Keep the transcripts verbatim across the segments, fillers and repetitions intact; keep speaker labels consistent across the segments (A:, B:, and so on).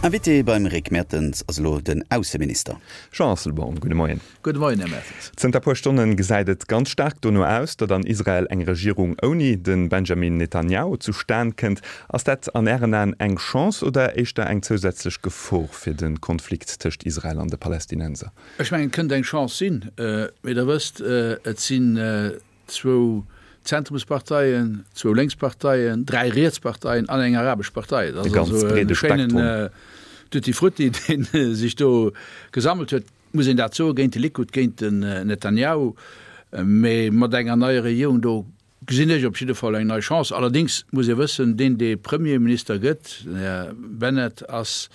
A: Invité beim Rick Mertens ass elo den Ausseminister.
B: Jean Asselborn, gudde Moien.
C: Gudde Moien, Här Mertens.
B: Zënter puer Stonne gesäit et ganz staark dono aus, datt an Israel eng Regierung ouni de Benjamin Netanjahu zustan kënnt. Ass dat an Ären Aen eng Chance oder éischter eng zousätzlech Gefor fir de Konflikt tëscht Israel an de Palästinenser?
C: Ech mengen, et kënnt eng Chance sinn. Mee Der wësst, et sinn zwou Zentrumsparteien, zwou Lénksparteien, dräi Rietsparteien an eng arabesch Partei. Dat ass also e schéinen Tutti Frutti, dee sech do gesammelt huet, muss een dat soen, géint de Likud, géint den Netanjahu. Mee mat enger neier Regierung do gesinn ech op jidde Fall eng nei Chance. Allerdéngs muss ee wëssen, deen, dee Premierminister gëtt, den Här Bennett, ass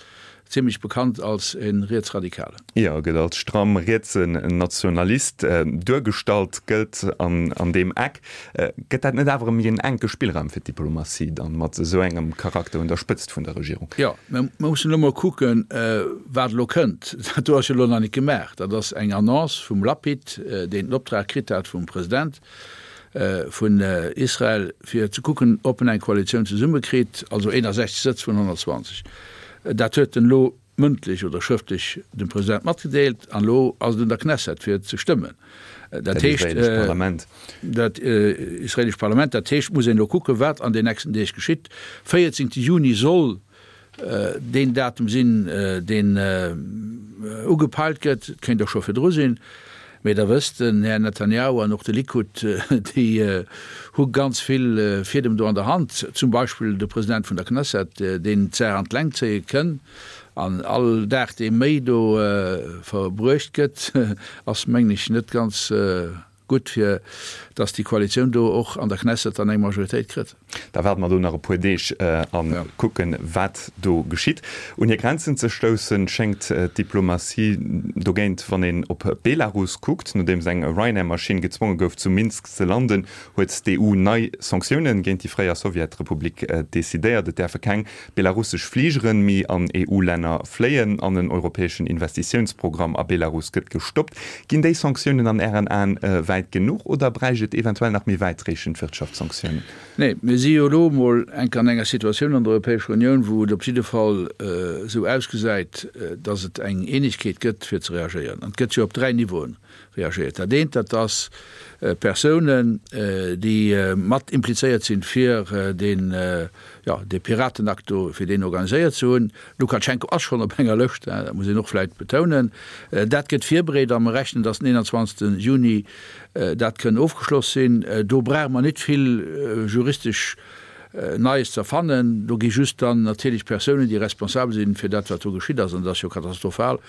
C: zimlech bekannt als e Rietsradikalen.
B: Jo, gëtt als stramm rietsen Nationalist duergestallt, gëllt an deem Eck. Gëtt dat net awer e méi en enke Spillraum fir d'Diplomatie dann, mat esou engem Charakter un der Spëtzt vun der Regierung?
C: Jo, mä mer mussen elo mol kucken, wat elo kënnt. Dat do ass jo elo nach net gemaach. Dat ass eng Annonce vum Lapid, deen den Optrag kritt hat vum President vun Israel, fir ze kucken, ob en eng Koalitioun zesummekritt, also eenundsechzeg Sëtz vun honnertzwanzeg. Dat huet en elo mëndlech oder schrëftlech dem President matgedeelt an elo ass et un der Knesset fir ze stëmmen. Dat heescht, dat israeelescht Parlament. Dat heescht, et muss een elo kucken, wat an den nächsten Deeg geschitt. Véierzéngte Juni soll deen Datum sinn, deen ugepeilt gëtt. Et kéint och scho virdru sinn. Mee Der wësst, den Här Netanjahu an och de Likud, déi hu ganz vill Fiedem do an der Hand, zum Beispill de President vun der Knesset, deen d'Saach an d'Längt zéie kënn. An all Dag, dee méi do verbruecht gëtt, ass, mengen ech, net ganz gutt, fir datt déi Koalitioun do och an der Knesset dann eng Majoritéit kritt.
B: Da waarde mer do nach e puer Deeg a kucken, wat do geschitt. Un hir Grenzen ze stoussen, schéngt d'Diplomatie dogéint, wann een op Belarus kuckt. Nodeems eng Ryanair-Maschinn gezwonge gouf, zu Minsk ze landen, huet d'E U nei Sanktioune géint déi fréier Sowjetrepublik decidéiert. Et däerfe keng belarussesch Fligere méi an E U-Länner fléien an en europäeschen Investitiounsprogramm a Belarus gëtt gestoppt. Ginn déi Sanktiounen an Ären Aen wäit genuch oder bräicht et eventuell nach méi wäitreechend Wirtschaftssanktiounen?
C: Nee, mir si jo elo emol enk an enger Situatioun an der Europäescher Unioun, wou et op jidde Fall esou ausgesäit, datt et eng Eenegkeet gëtt, fir ze reagéieren. An et gëtt jo op dräi Niveauen reagéiert. Dat eent, dat ass Persounen, déi mat implizéiert sinn, fir deen, jo, dee Piratenakt do, fir deen organiséiert ze hunn. Lukatschenko ass schonn op enger Lëscht, dat muss een och vläicht betounen. Dat gëtt virbereet a mer rechnen, datt den eenanzwanzegste Juni dat kënn ofgeschloss sinn. Do brauche mer net vill juristesch Neies ze erfannen. Do gi just dann natierlech Persounen, déi responsabel sinn fir dat, wat do geschitt ass, an dat ass jo katastrophal,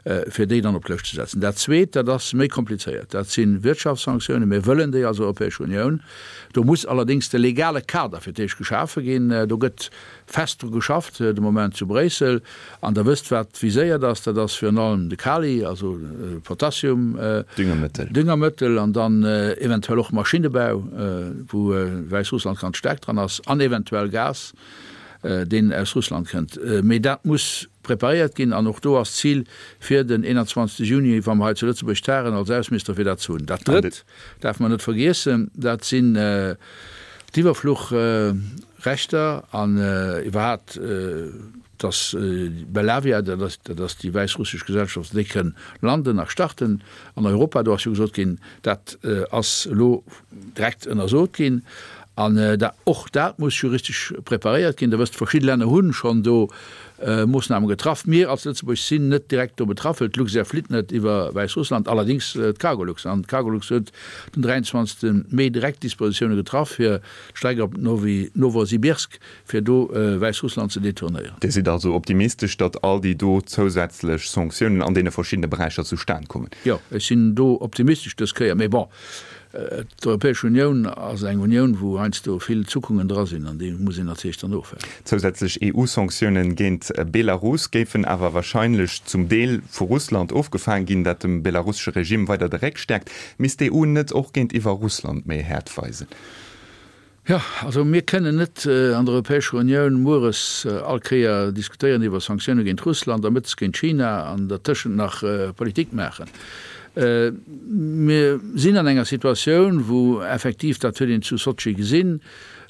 C: fir déi dann op d'Lëscht ze setzen. Dat Zweet, dat ass méi komplizéiert, dat si Wirtschaftssanktiounen. Mir wëllen déi als Europäesch Unioun. Do muss allerdéngs de legale Kader fir d'éischt geschafe ginn. Do gëtt fest dru geschafft de Moment zu Bréissel. An Der wësst, wat viséiert ass, dat ass virun allem de Kali, also Potassium,
B: Düngermëttel.
C: Düngermëttel an dann eventuell och Maschinnebau, wou Wäissrussland ganz staark dran ass, an eventuell Gas, deen aus Russland kënnt. Mee dat muss preparéiert ginn an och do ass d'Zil fir den eenanzwanzegste Juni, wa mer hei zu Lëtzebuerg tagen, als Ausseminister, fir dat ze hunn. Dat Drëtt däerfe mer net vergiessen, dat sinn d'Iwwerfluchrechter an iwwerhaapt, dass Belavia, dat ass, dat ass déi wäissrussesch Gesellschaft, déi kënn landen a starten an Europa. Do ass jo gesot ginn, dat ass elo direkt ënnersot ginn. An och dat muss juristesch preparéiert ginn. Der wësst, verschidde Länner hu schonn do Moossname getraff. Mir als Lëtzebuerg sinn net direkt do betraff, well d'Luxair flitt net iwwer Wäissrussland, allerdéngs d'Cargolux. An d'Cargolux huet den dräianzwanzegste Mee direkt Dispositioune getraff, fir d'Streck op Nowosibirsk, fir do Wäissrussland ze detournéieren.
B: Dir sidd also optimistesch, datt all déi do zousätzlech Sanktiounen an deene verschiddene Beräicher zustan kommen?
C: Jo, ech sinn do optimistesch dës Kéier. Mee bon, D'Europäesch Unioun ass eng Unioun, wou heiansdo vill Zuckungen dra sinn, an déi muss een natierlech dann ofwägen.
B: Zousätzlech E U-Sanktiounen géint Belarus géifen awer warscheinlech zum Deel vu Russland ofgefaang ginn, dat dem belarussesche Regime weider de Réck stäerkt. Misst d'E U net och géintiwwer Russland méi Häert weisen?
C: Jo, also mir kënnen net an der Europäescher Unioun mueres all Kéier diskutéieren iwwer Sanktioune géint Russland a mëttes géint China an dertëschent nach Politik maachen. Mir sinn an enger Situatioun, wou effektiv, dat huet een zu Sotschi gesinn,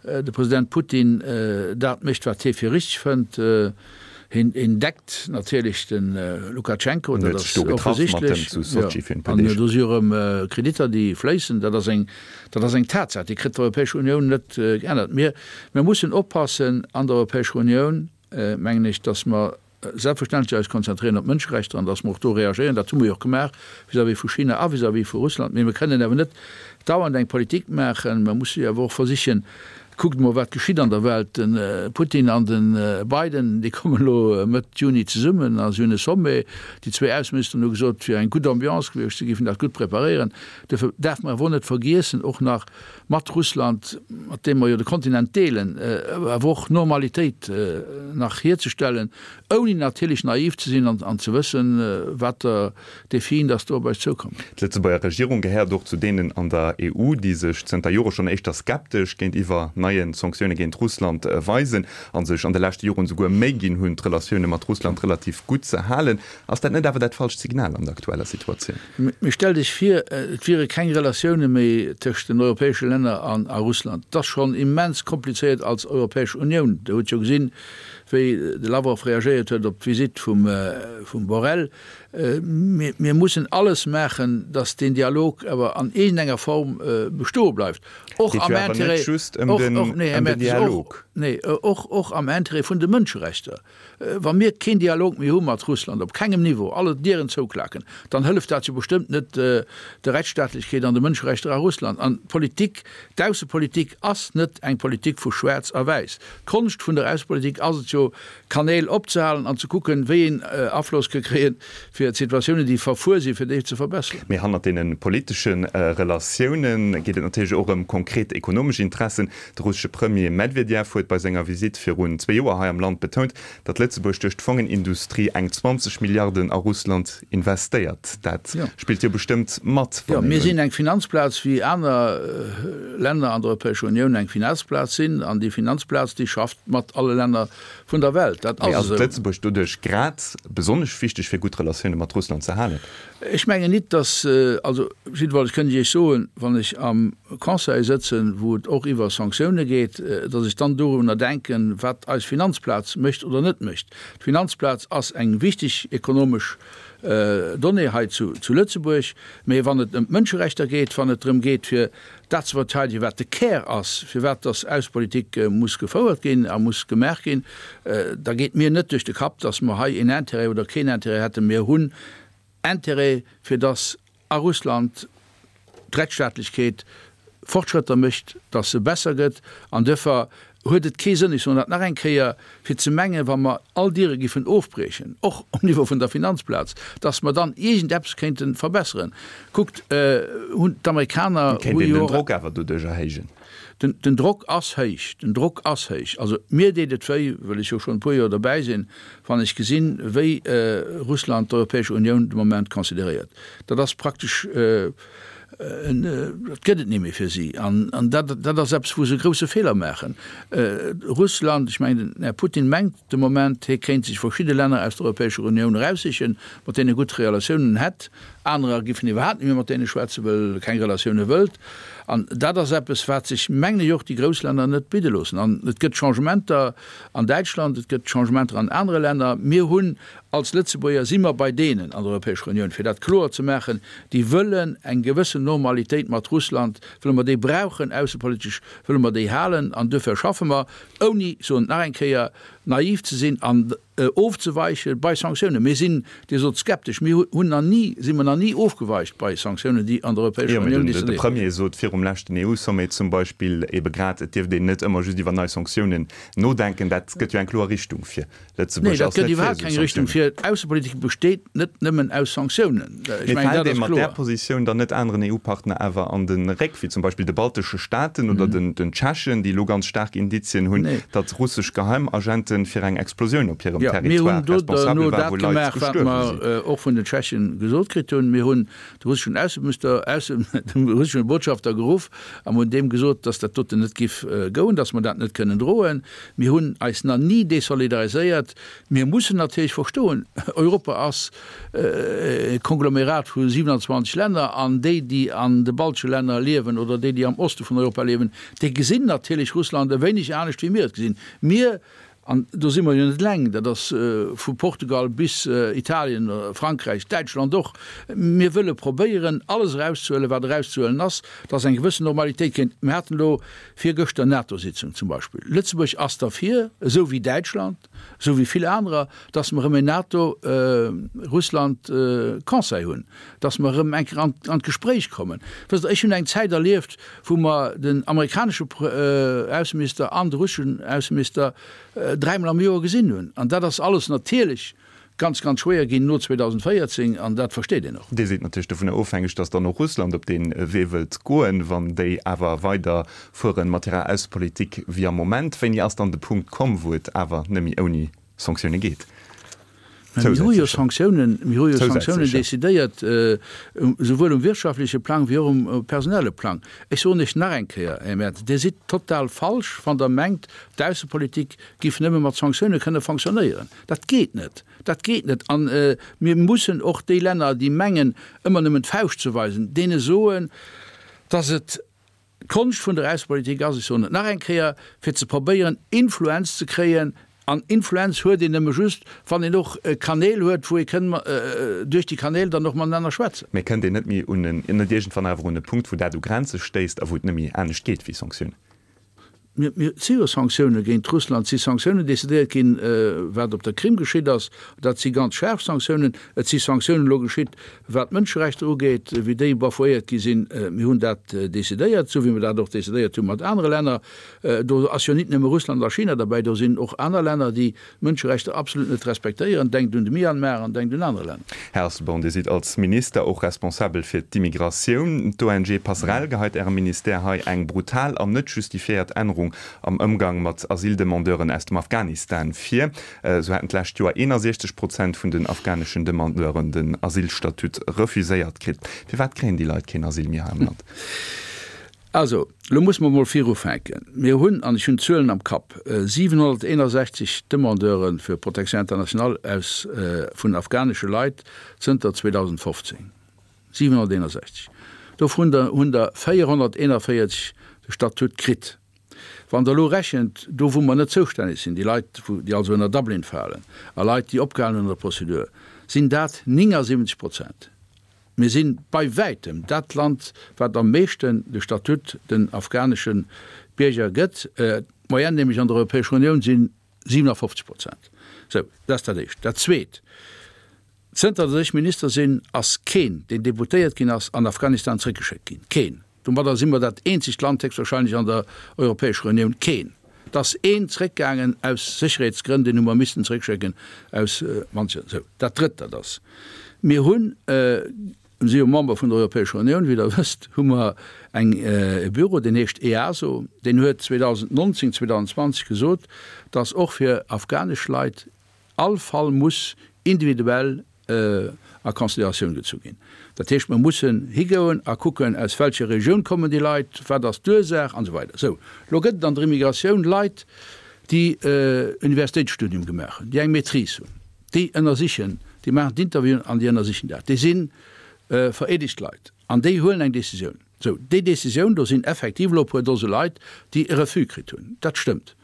C: de President Putin dat mécht, wat hie fir richteg fënnt. Hien deckt natierlech de Lukatschenko, dat ass offensichtlech. An do si jo erëm Kreditter, déi fléissen. Dat ass eng, dat ass eng Tatsaach, déi kritt d'Europäesch Unioun net geännert. Mir, mir mussen oppassen an der Europäescher Unioun, mengen ech, datt mer selbstverständlech eis konzentréieren op d'Mënscherechter an datt mer och do reagéieren. Dat hu mer jo och gemaach vis-à-vis vu China a vis-à-vis vu Russland. Mee mir kënnen awer net dauernd eng Politik maachen. Mer musse jo awer och versichen, Kuckt emol, wat geschitt an der Welt. De Putin an de Biden, déi kommen elo Mëtt Juni zesummen a si hunn e Sommet. Déi zwee Ausseministeren hu gesot, et wier eng gutt Ambiance gewiescht, si géifen dat gutt preparéieren. Duerfir däerfe mer awer och net vergiessen, och nach mat Russland, mat deem mer jo de Kontinent deelen, awer och Normalitéit nach hierzestellen, ouni natierlech naiv ze sinn an ze wëssen, wat der Defien dass do op eis zoukommen.
B: D'Lëtzebuerger Regierung gehéiert och zu deenen an der E U, déi sech zënter Jore schonn éischter skeptesch géintiwwer neie Sanktioune géint Russland weisen a sech an de leschte Joren esouguer Méi ginn hunn, d'Relatioune mat Russland relativ gutt ze halen. Ass dat net awer dat falscht Signal an der aktueller Situatioun?
C: Mee stell dech vir, et wiere keng Relatioune méi tëscht den europäesche Länner an a Russland. Et ass schonn immens komplizéiert als Europäesch Unioun. Der hutt jo gesinn, wéi de Lavrov reagéiert huet op d'Visitt vum Borrell. Mir mussen alles maachen, datt deen Dialog awer an iergendenger Form bestoe bleift, och am Intérêt, och am Intérêt vun de Mënscherechter. Wa mir keen Dialog méi hu mat Russland, op kengem Niveau, alle Dieren zouklaken, dann hëlleft dat jo bestëmmt net der Rechtsstaatlechkeet an de Mënscherechter a Russland. An d'Politik, d'Aussepolitik ass net eng Politik vu Schwaarz a Wäiss. D'Konscht vun der Aussepolitik ass et jo, Kanäl opzehalen an ze kucken, wéi een Afloss ka kréien, fir d'Situatiounen, déi verfuer sinn, fir déi ze verbesseren.
B: Mee hannert deene politesche Relatioune geet et natierlech och ëm konkret ekonomesch Interessen. De russesche Premier Medvedev huet bei senger Visitt virun zwee Joer hei am Land betount, datt Lëtzebuerg duerch d'Fongenindustrie eng zwanzeg Milliarden a Russland investéiert. Dat spillt jo bestëmmt mat,
C: wann een. Jo, mir sinn eng Finanzplaz, wéi aner Länner an der Europäescher Unioun eng Finanzplaz sinn. An déi Finanzplaz, déi schafft mat alle Länner vun der Welt.
B: Dat ass esou. Mee ass et Lëtzebuerg doduerch grad besonnesch wichteg, fir gutt Relatioune mat Russland ze halen?
C: Ech mengen nit, datt, also jiddefalls kënnt ech Iech soen, wann ech am Conseil sëtzen, wou et och iwwer Sanktioune geet, datt ech dann dorunner denken, wat eis Finanzplaz mécht oder net mécht. D'Finanzplaz ass eng wichteg ekonomesch Donnée hei zu Lëtzebuerg, mee wann et ëm d'Mënscherechter geet, wann et drëm geet, fir dat ze verteidegen, wat de Kär ass, firwat datt Aussepolitik muss gefouert ginn a muss gemaach ginn, da geet mir net duerch de Kapp, datt mer hei een Intérêt oder keen Intérêt hätten. Mir hunn Intérêt, fir datt a Russland d'Rechtsstaatlechkeet Fortschrëtter mécht, datt se besser gëtt. An duerfir huet et kee Sënn, ech soen dat nach eng Kéier, fir ze mengen, wa mer all Diere giffen ofbriechen, och um Niveau vun der Finanzplaz, datt mer dann iergendeppes kéinte verbesseren. Kuckt, hunn d'Amerikaner
B: Kéint
C: hu
B: een
C: jo
B: den
C: och.
B: Drock awer doduerch erhéijen?
C: Den Drock ass héich, den Drock ass héich. Also mir deet et wéi, well ech jo schonn e puer Joer derbäi sinn, wann ech gesinn, wéi Russland d'Europäesch Unioun de Moment consideréiert. Dat ass praktesch, dat gëtt et ni méi fir si. An dat, dat ass eppes, wou se e grouse Feeler maachen. Russland, ech mengen, den Här Putin mengt de Moment, hie kéint sech verschidde Länner aus der Europäescher Unioun eraussichen, mat deene e gutt Relatiounen hätt. Anerer giffen iwwerhaapt net méi mat deene schwätzen, well e keng Relatioune wëllt. An dat ass eppes, wat sech, mengen ech, och déi grouss Länner net bidde loossen. An et gëtt Changementer an Däitschland, et gëtt Changementer an anere Länner. Mir hunn als Lëtzebuerger, si mer bei deenen an der Europäescher Unioun, fir dat kloer ze maachen, déi wëllen eng gewëssen Normalitéit mat Russland, wëlle mer déi brauchen aussepolitesch, wëlle mer déi halen. An duerfir schaffe mer, ouni, ech soen et nach eng Kéier, naiv ze sinn an ofzeweiche bei Sanktiounen. Mir sinn, Dir sot skeptesch, mir hunn nach ni, si mer nach ni ofgeweicht bei Sanktiounen, déi an der Europäescher
B: Jo, mee
C: Unioun
B: den de
C: decidéiert ginn.
B: Premier sot virum leschten E U-Sommet zum Beispill ebe grad, et dierft een net ëmmer just iwwer nei Sanktiounen nodenken. Dat gëtt jo eng kloer Richtung vir.
C: Nee,
B: Lëtzebuerg
C: dat
B: ass
C: gëtt
B: net fir
C: iwwerhaapt
B: esou
C: keng Richtung
B: Sanktiounen.
C: vir. D'Aussepolitik besteet net nëmmen aus Sanktiounen. Ech
B: Mee
C: mengen,
B: fält
C: dat
B: ee
C: ass
B: mat där
C: kloer.
B: Positioun dann net aneren E U-Partner awer an de Réck, wéi zum Beispill de baltesche Staaten oder den den Tschechen, déi elo ganz staark Indizien hunn,
C: Nee.
B: datt russesch Geheimagenten fir eng Explosioun op hirem
C: Jo, mir
B: Territoire
C: hunn do
B: responsabel
C: derno
B: war,
C: dat
B: wou Leit
C: gemaach, wat
B: gestuerwe
C: mer
B: sinn?
C: och vun den Tschechen gesot kritt hunn. Mir hunn de russeschen Ausseminister, Ausse, de russeschen Botschafter geruff an hunn deem gesot, datt dat doten net giff goen, datt mer dat net kënnen droen. Mir hunn eis nach ni desolidariséiert. Mir mussen natierlech verstoen, Europa ass e Konglomerat vu siewenanzwanzeg Länner an déi, déi an de baltesche Länner liewen oder déi, déi am Oste vun Europa liewen, déi gesinn natierlech Russland e wéineg anescht wéi mir et gesinn. Mir An do si mer jo net eleng, dat ass vu Portugal bis Italien, Frankräich, Däitschland och. Mir wëlle probéieren, alles erauszehuelen, wat erauszehuelen ass, dass eng gewëssen Normalitéit kéint. Mir haten elo virgëschter NATO-Sitzung zum Beispill. Lëtzebuerg ass derfir, esou wéi Däitschland, esou wéi vill anerer, dass mer erëm en NATO-Russland-Conseil hunn, dass mer erëm eng Kéier an d'Gespréich kommen. Wësst Der, ech hunn eng Zäit erlieft, wou mer den amerikanesche Ausseminister an de russeschen Ausseminister dräimol am Joer gesinn hunn. An dat ass alles natierlech ganz, ganz schwéier ginn no zweedausendvéierzéng an dat versteet een och.
B: Dir sidd natierlech dovunner ofhängeg, datt dann och Russland op dee Wee wëllt goen. Wann déi awer weider fuere mat hirer Aussepolitik wéi am Moment, wéini ass dann de Punkt komm, wou et awer net méi ouni Sanktioune geet?
C: Mä mir hu jo Sanktiounen, mir hu jo Sanktiounen decidéiert, esouwuel um wirtschaftleche Plang wéi och um personelle Plang. Ech soen lech nach eng Kéier, Här Mertens, Dir sidd total falsch, wann Der mengt, d'Aussepolitik giff nëmme mat Sanktioune kënne fonctionnéieren. Dat geet net. Dat geet net. A mir mussen och déi Länner, déi mengen, ëmmer nëmmen d'Fauscht ze weisen, deene soen, dass et d'Konscht vun der Aussepolitik ass, ech soen et nach eng Kéier, fir ze probéieren, Influenz ze kréien. An Influenz huet een nëmme just, wann een och Kanäl huet, wou ee kënn duerch déi Kanäl dann och matenaner schwätzen.
B: Mee kënnt een net méi un en, net iergendwann awer un e Punkt, wou dat u Grenze stéisst a wou et net méi anescht geet wéi Sanktiounen?
C: Mir, mir si jo Sanktioune géint Russland, et si Sanktiounen decidéiert ginn, wat op der Krim geschitt ass, dat si ganz schaarf Sanktiounen. Et si Sanktiounen elo geschitt, wat d'Mënscherechter ugeet, wéi déi bafouéiert gi sinn. Mir hunn dat decidéiert, esou wéi mir dat och decidéiert hu mat anere Länner. Do ass jo nit nëmme Russland a China derbäi, do sinn och aner Länner, déi d'Mënscherechter absolut net respektéieren. Denkt un de Myanmar an denkt un aner Länner.
B: Här Asselborn, Dir sidd als Minister och responsabel fir d'Immigratioun. D'ONG Passerell geheit Ärem Ministère hei eng brutal an net justifiéiert Ännerung am Ëmgang mat Asyldemandeuren aus dem Afghanistan vir. Esou hätten d'lescht Joer eenundsechzeg Prozent vun den afghaneschen Demandeuren den Asylstatut refuséiert kritt. Firwat kréien déi Leit keen Asyl méi hei am Land?
C: Also, elo musse mer emol virufänken. Mir hunn, an ech hunn d'Zuelen am Kapp, siwenhonnerteenundsechzeg Demandeure fir Protection internationale aus, vun afghanesche Leit zënter zweedausendfofzéng. siwenhonnerteenundsechzeg. Dovun hunn der véierhonnerteenundvéierzeg de Statut kritt. Wann Der elo rechent, do wou mer net zoustänneg sinn, déi Leit, déi also ënner Dublin falen, a Leit, déi opgehalen hunn an der Prozedur, sinn dat néngasiwwenzeg Prozent. Mir si bei wäitem dat Land, wat am meeschten de Statut den afghanesche Bierger gëtt. D'Moyenne nämlech an der Europäescher Unioun si siewenafofzeg Prozent. Sou, dat ass dat Éischt. Dat Zweet, Zënter datt ech Minister sinn, ass keen, deen deportéiert ginn ass, an Afghanistan zréckgeschéckt ginn. Keen! Domadder si mer dat eenzegt Land héchstwahrscheinlech an der Europäescher Unioun. Keen! Et ass een zréckgaangen aus Sécherheetsgrënn, deen hu mer missten zréckschécken aus manche. Sou, dat Drëtt, dat ass, mir hunn, mir si jo Member vun der Europäescher Unioun, wéi Der wësst, hu mer eng, e Büro, deen heescht EASO, deen huet zweedausendnonzéng, zweedausendzwanzeg gesot, datt och fir afghanesch Leit all Fall muss individuell a Consideratioun gezu ginn. Dat heescht, mer mussen higoen a kucken, aus welcher Regioun kommen déi Leit, wat ass d'Ursaach an esou weider. Sou, elo gëtt et an der Immigratioun Leit, déi Universitéitsstudium gemaach hunn, déi eng Maîtrise hunn, déi ënnersichen, déi maachen d'Interviewen an déi ënnersichen dat. Déi si vereedegt Leit an déi huelen eng Décisioun. Sou, déi Décisioun, do sinn effektiv elo e puer Dose Leit, déi e Refus kritt hunn. Dat stëmmt,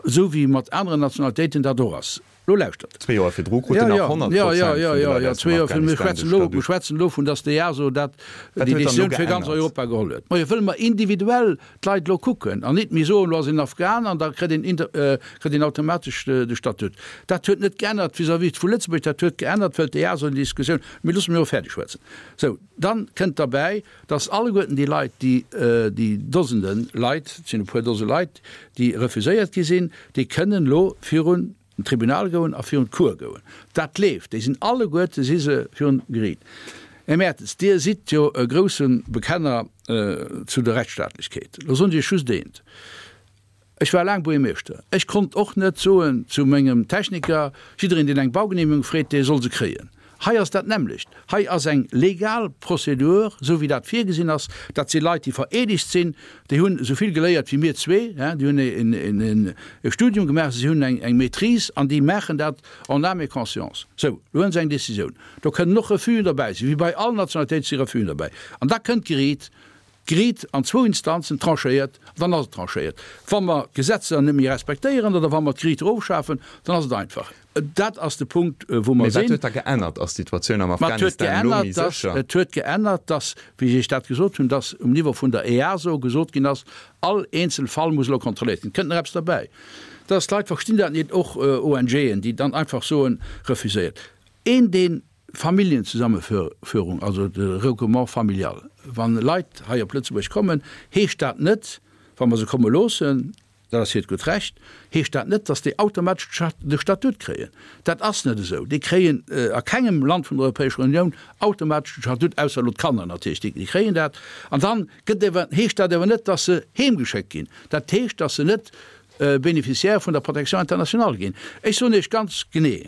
C: esou wéi mat aneren Nationalitéiten dat och ass. Lo lauschtert.
B: Zwee Joer virdru kruten nach honnert Prozent vun de Leit aus dem Afghanistan de Statut.
C: Mir schwätzen elo vun, datt d'EASO dat,
B: Wat
C: déi
B: huet dann elo
C: Decisioun fir ganz
B: geännert?
C: Europa geholl huet. Majo, wëlle mer individuell d'Leit elo kucken an nit méi soen, elo ass een Afghan an da kritt een inter, kritt een automatesch de Statut. Dat huet net geännert vis-à-vis vu Lëtzebuerg, dat huet geännert, wëll d'EASO déi Diskussioun, mee loosse mir elo fäerdeg schwätzen. Sou, dann kënnt derbäi, datt alleguerten déi Leit, déi, déi Dosende Leit, et sinn e puer Dose Leit, déi refuséiert gi sinn, déi kënnen elo virun den Tribunal goen a virun d'Cour goen. Dat leeft. Déi sinn alleguerte si se virun Geriit. Här Mertens, Dir sidd jo e grousse Bekenner zu der Rechtsstaatlechkeet. Lo soen ech Iech just eent, Ech war laang Buergermeeschter. Ech konnt och net soen zu mengem Techniker, jiddereen, deen eng Baugenehmegung freet, dee soll se kréien. Hei ass dat nämmlecht. Hei ass eng legal Prozedur, esou wéi dat virgesinn ass. Dat si Leit, déi vereedegt sinn, déi hunn esou vill geléiert wéi mir zwee, déi hunn e Studium gemaach, si hunn eng Maîtrise an déi maachen dat en âme et conscience. Sou, elo hunn se eng Décisioun. Do kënnen och Refusen derbäi sinn, wéi bei all Nationalitéit si Refusen derbäi. An da kënnt d'Geriit. D'Geriit an zwou Instanzen tranchéiert, dann ass et tranchéiert. Wa mer d'Gesetzer net méi respektéieren oder wa mer d'Geriit erofschafen, dann ass et einfach. Dat ass de Punkt, wou mer
B: Mee wat
C: sinn.
B: huet da geännert? Ass d'Situatioun am
C: Ma et huet
B: Afghanistan elo
C: geännert,
B: méi
C: dass,
B: sécher?
C: et huet geännert, dass, wéi ech Iech dat gesot hunn, dass um Niveau vun der EASO gesot ginn ass, all eenzel Fall muss elo kontrolléiert ginn. Et kënnt nach eppes derbäi, dass d'Leit verstinn dat net, och ONGen, déi dann einfach soen, refuséiert. Een, deen Familljenzusammenführung, also de Regroupement familial, wann Leit hei op Lëtzebuerg kommen, heescht dat net, wa mer se komme loossen, dat ass hiert gutt Recht, heescht dat net, datt déi automatesch de Statut kréien. Dat ass net esou. Déi kréien a kengem Land vun der Europäescher Unioun automatesch de Statut, ausser elo d'Kanner natierlech, déi kréien dat. An dann gëtt ewer, heescht dat ewer net, datt se heemgeschéckt ginn. Dat heescht, datt se net Bénéficiaire vun der Protection internationale ginn. Ech soen Iech ganz genee,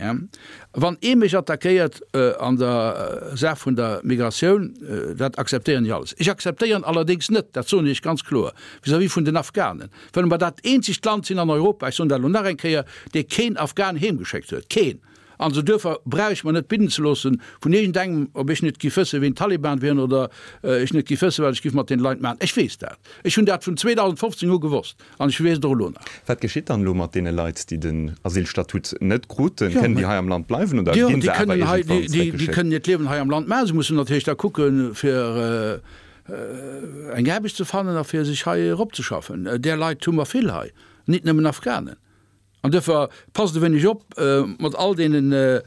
C: wann ee mech attackéiert an der Saach vun der Migratioun, dat akzeptéieren ech alles. Ech akzeptéieren allerdéngs net, dat soen ech ganz kloer, vis-à-vis vun den Afghanen, well mer dat eenzegt Land sinn an Europa, ech soen dat elo nach eng Kéier, dee keen Afghan heemgeschéckt huet. Keen! An esou duerfir brauch ech mer net bidden ze loossen vun iergendengem, ob ech net giff wëssen, wien d'Taliban wieren oder ech net giff wëssen, wat ech giff mat deene Leit maachen. Ech weess dat. Ech hunn dat vun zweedausendfofzéng u gewosst an ech weess et och elo nach.
B: Wat geschitt dann elo mat deene Leit, déi den Asylstatut net kruten? Kënnen déi hei am Land bleiwen oder
C: Jo,
B: ginn
C: déi
B: se awer
C: kënnen hei,
B: iergendwann
C: déi, déi
B: zeréckgeschéckt?
C: kënnen hiert Liewen hei am Land maachen. Se mussen natierlech da kucken, fir eng Aarbecht ze fannen a fir sech hei eropzeschaffen. Där Leit hu mer vill hei, nit nëmmen Afghanen. An duerfir passt e wéineg op mat all deene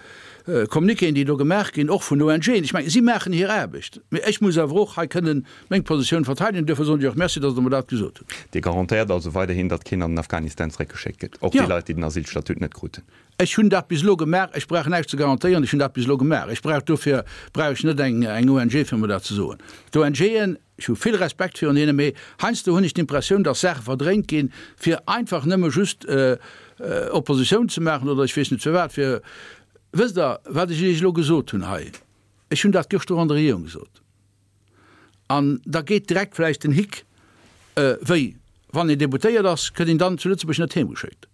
C: Communiquéen, déi do gemaach ginn, och vun ONGen. Ech mengen, si maachen hir Aarbecht, mee ech muss awer och hei kënnen meng Positioun verteidegen. Duerfir soen ech och Merci, datt Der mer dat gesot hutt.
B: Dir garantéiert also weiderhin, datt keen an den Afghanistan zeréckgeschéckt gëtt, och déi
C: Jo.
B: Leit, déi den Asylstatut net kruten?
C: Ech hunn dat bis elo gemaach. Ech brauch näischt ze garantéieren. Ech hunn dat bis elo gemaach. Ech brauch dofir brauch ech net eng O N G, fir mer dat ze soen. D'ONGen, ech hu vill Respekt virun hinnen, mee heiansdo hunn ech d'Impressioun, datt Saache verdréint ginn, fir einfach nëmme just Oppositioun ze maachen oder ech weess net firwat. Fir, wësst Der, wat ech Iech elo gesot hunn hei, ech hunn dat gëschter an der Regierung gesot. An da geet direkt vläicht den Hick, Wéi, wann een Deputéiert ass, gëtt een dann zu Lëtzebuerg net heemgeschéckt?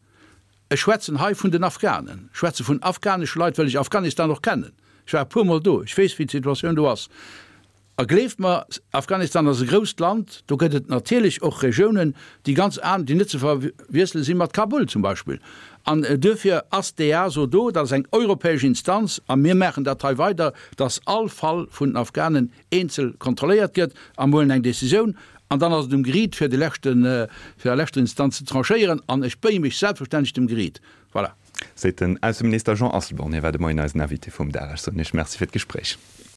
C: Ech schwätzen hei vun den Afghanen, ech schwätze vun afghanesche Leit, well ech Afghanistan och kennen. Ech war e puermol do, ech weess, wéi d'Situatioun do ass. A gleeft mer, Afghanistan ass e grousst Land, do gëtt et natierlech och Regiounen, déi ganz aner, déi net ze verwiessele si mat Kabul zum Beispill. An duerfir ass d'EASO do, dat ass eng europäesch Instanz, a mir maachen dat hei weider, dass all Fall vun den Afghanen eenzel kontrolléiert gëtt a mir huelen eng Décisioun. An dann ass et um Geriit, fir déi leschten, fir a leschter Instanz ze tranchéieren. An ech béie mech selbstverständlech dem Geriit. Voilà.
B: Seet den Ausseminister Jean Asselborn. Hie war de Moien eisen Invité vum Dag. Ech soen Iech Merci fir d'Gespréich.